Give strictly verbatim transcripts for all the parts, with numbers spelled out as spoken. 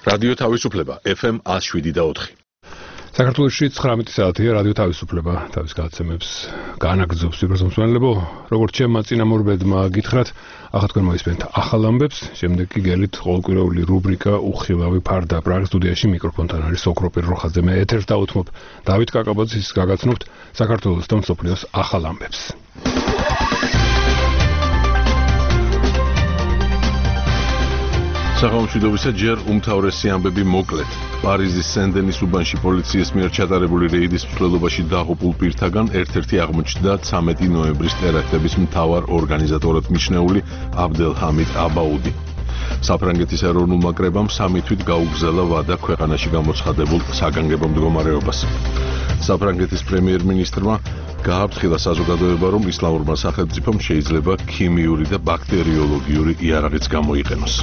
რადიო თავისუფლება ეფ ემ ნული შვიდი და ოთხი. საქართველოში ცხრამეტი საათია რადიო თავისუფლება თავის გადაცემებს განაგრძობს ვიბრაზმსვენელებო, როგორც ჩემმა წინამორბედმა გითხრათ, ახლა თქვენ მოისმენთ ახალ ამბებს, შემდეგ კი გელით ყოველკვირეული რუბრიკა უხილავი ფარდა პრაღის სტუდიაში მიკროფონთან არის ოქროპირ როხაძე, მე ეთერს დავუთმობ დავით კაკაბაძის გაგაცნობთ საქართველოს და მსოფლიოს ახალ ამბებს. სახელმწიფოებისა ჯერ უმთავრესი ამბები მოკლედ. პარიზის სენ-დენის უბანში პოლიციის მიერ ჩატარებული რეიდის მსვლელობაში დაღუპულ პირთაგან ერთ-ერთი აღმოჩნდა ცამეტი ნოემბრის ტერაქტების მთავარ ორგანიზატორად მიჩნეული აბდელჰამიდ აბაუდი. საფრანგეთის ეროვნულმა კრებამ სამი თვით გაუგზავნა ვადა ქვეყანაში გამოცხადებულ საგანგებო მდგომარეობას. საფრანგეთის პრემიერ-მინისტრმა გააფრთხილა საზოგადოება, რომ ისლამურმა სახელმწიფომ შეიძლება ქიმიური და ბაქტერიოლოგიური იარაღიც გამოიყენოს.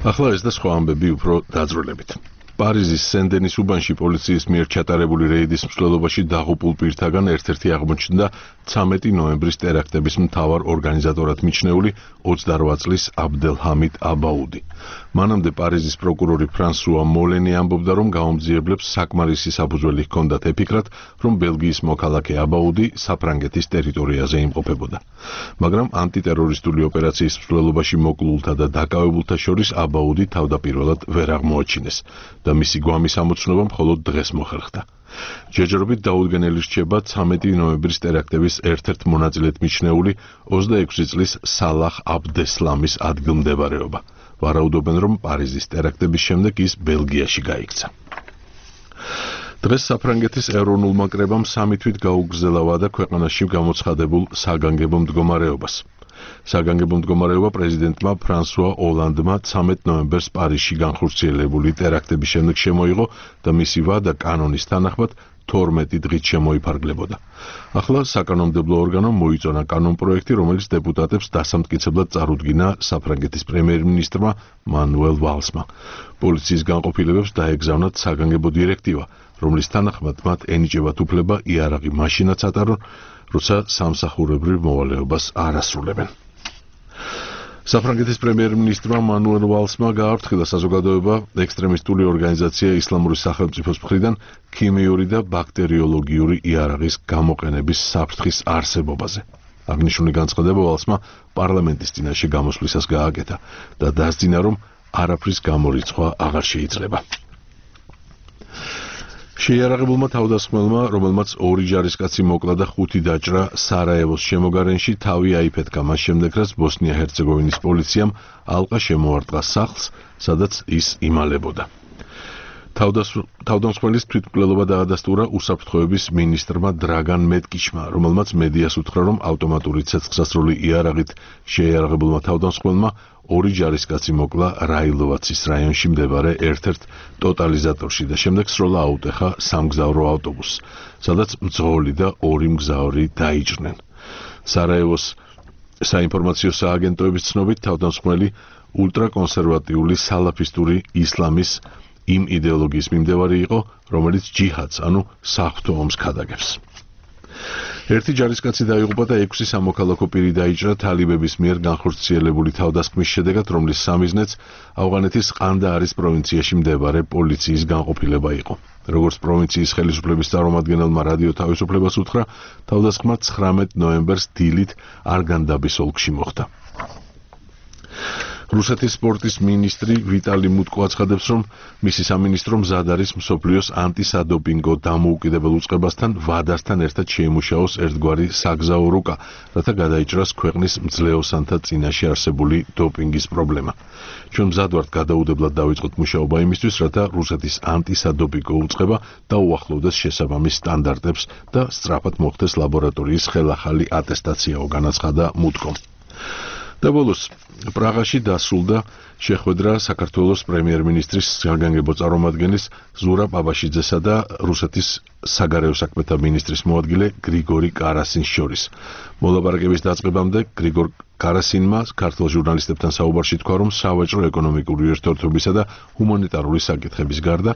ახლა ეს და სხვა ამბები უფრო დაძრულებით. პარიზის სენ-დენის უბანში პოლიციის მიერ ჩატარებული რეიდის მსვლელობაში დაღუპულ პირთაგან ერთ-ერთი აღმოჩნდა ცამეტი ნოემბრის ტერაქტების მთავარ ორგანიზატორად მიჩნეული ოცდარვა წლის აბდელჰამიდ აბაუდი. მანამდე პარიზის პროკურორი ფრანსუა მოლენი ამბობდა, რომ გაუმძიებლებს საკმარისი საფუძველი ჰქონდათ ეფიქრათ, რომ ბელგიის მოქალაქე აბაუდი საფრანგეთის ტერიტორიაზე იმყოფებოდა. მაგრამ ანტიტერორისტული ოპერაციის მსვლელობაში მოკლულთა და დაკავებულთა შორის აბაუდი თავდაპირველად ვერ აღმოაჩინეს და მისი გვამის ამოცნობა მხოლოდ დღეს მოხერხდა. ჯერჯერობით დაუდგენელი რჩება ცამეტი ნოემბრის ტერაქტების ერთ-ერთ მონაწილედ მიჩნეული ოცდაექვსი წლის სალაჰ აბდესლამის ადგილმდებარეობა. ვარაუდობენ, რომ პარიზის ტერაქტების შემდეგ ის ბელგიაში გაიქცა. დღეს საფრანგეთის ეროვნულმა კრებამ სამი თვით გაუგზავნა ვადა ქვეყანაში გამოცხადებულ საგანგებო მდგომარეობას. საგანგებო მდგომარეობა პრეზიდენტმა ფრანსუა ოლანდმა ცამეტ ნოემბერს პარიზში განხორციელებული ტერაქტების შემდეგ შემოიღო და მისი ვადა კანონის თანახმად თორმეტი დღით შემოიფარგლებოდა. ახლა საკანონმდებლო ორგანომ მოიწონა კანონპროექტი, რომელიც დეპუტატებს დასამტკიცებლად წარუდგინა საფრანგეთის პრემიერ-მინისტრმა მანუელ ვალსმა. პოლიციის განყოფილებებს დაეგზავნათ საგანგებო დირექტივა, რომლის თანახმად მათ ენიჭებათ უფლება იარაღი მაშინაც ატარონ, როცა სამსახურებრივ მოვალეობას არ ასრულებენ. საფრანგეთის პრემიერ-მინისტრმა მანუელ ვალსმა გააფრთხილა საზოგადოება ექსტრემისტული ორგანიზაცია ისლამური სახელმწიფოს მხრიდან ქიმიური და ბაქტერიოლოგიური იარაღის გამოყენების საფრთხის არსებობაზე. აღნიშნული განცხადება ვალსმა პარლამენტის წინაშე გამოსვლისას გააკეთა და დასძინა, რომ არაფრის გამორიცხვა აღარ შეიძლება. შეიარაღებულმა თავდასხმელმა, რომელმაც ორი ჯარისკაცი მოკლა და ხუთი დაჭრა სარაევოს შემოგარენში, თავი აიფეთქა მას შემდეგ, რაც ბოსნია-ჰერცეგოვინის პოლიციამ ალყა შემოარტყა სახლს, სადაც ის იმალებოდა. თავდამსხმელის თვითმკვლელობა დაადასტურა უსაფრთხოების მინისტრმა დრაგან მეტკიჩმა, რომელმაც მედიას უთხრა, რომ ავტომატური ცეცხლსასროლი იარაღით შეიარაღებულმა თავდამსხმელმა ორი ჯარისკაცი მოკლა რაილოვაცის რაიონში მდებარე ერთ-ერთ ტოტალიზატორში და შემდეგ სროლა აუტეხა სამგზავრო ავტობუსს, სადაც მძღოლი და ორი მგზავრი დაიჭრნენ. სარაევოს საინფორმაციო სააგენტოების ცნობით, თავდამსხმელი ულტრაკონსერვატიული სალაფისტური ისლამის იმ იდეოლოგიის მიმდევარი იყო, რომელიც ჯიჰადს, ანუ საღვთო ომს ქადაგებს. ერთი ჯარისკაცი დაიღუპა და ექვსი სამოქალაქო პირი დაიჭრა თალიბების მიერ განხორციელებული თავდასხმის შედეგად, რომლის სამიზნეც ავღანეთის ყანდაარის პროვინციაში მდებარე პოლიციის განყოფილება იყო. როგორც პროვინციის ხელისუფლების წარმომადგენელმა რადიო თავისუფლებას უთხრა, თავდასხმა ცხრამეტ ნოემბერს დილით არგანდაბის ოლქში მოხდა. რუსეთის სპორტის მინისტრი ვიტალი მუტკო აცხადებს, რომ მისი სამინისტრო მზად არის მსოფლიოს ანტისადოპინგო დამოუკიდებელ უწყებასთან ვადასთან ერთად შეიმუშაოს ერთგვარი საგზაო რუკა, რათა გადაიჭრას ქვეყნის მძლეოსანთა წინაშე არსებული დოპინგის პრობლემა. ჩვენ მზად ვართ გადაუდებლად დავიწყოთ მუშაობა იმისთვის, რათა რუსეთის ანტისადოპინგო უწყება დაუახლოვდეს შესაბამის სტანდარტებს და სწრაფად მოხდეს ლაბორატორიის ხელახალი ატესტაციაო, განაცხადა მუტკომ. და ბოლოს პრაღაში დასრულდა შეხვედრა საქართველოს პრემიერ-მინისტრის საგანგებო წარმომადგენლის ზურაბ აბაშიძესა და რუსეთის საგარეო საქმეთა მინისტრის მოადგილე გრიგორი კარასინის შორის. მოლაპარაკების დაწყებამდე გრიგორ კარასინმა ქართულ ჟურნალისტებთან საუბარში თქვა, რომ სავაჭრო ეკონომიკური ურთიერთობისა და ჰუმანიტარული საკითხების გარდა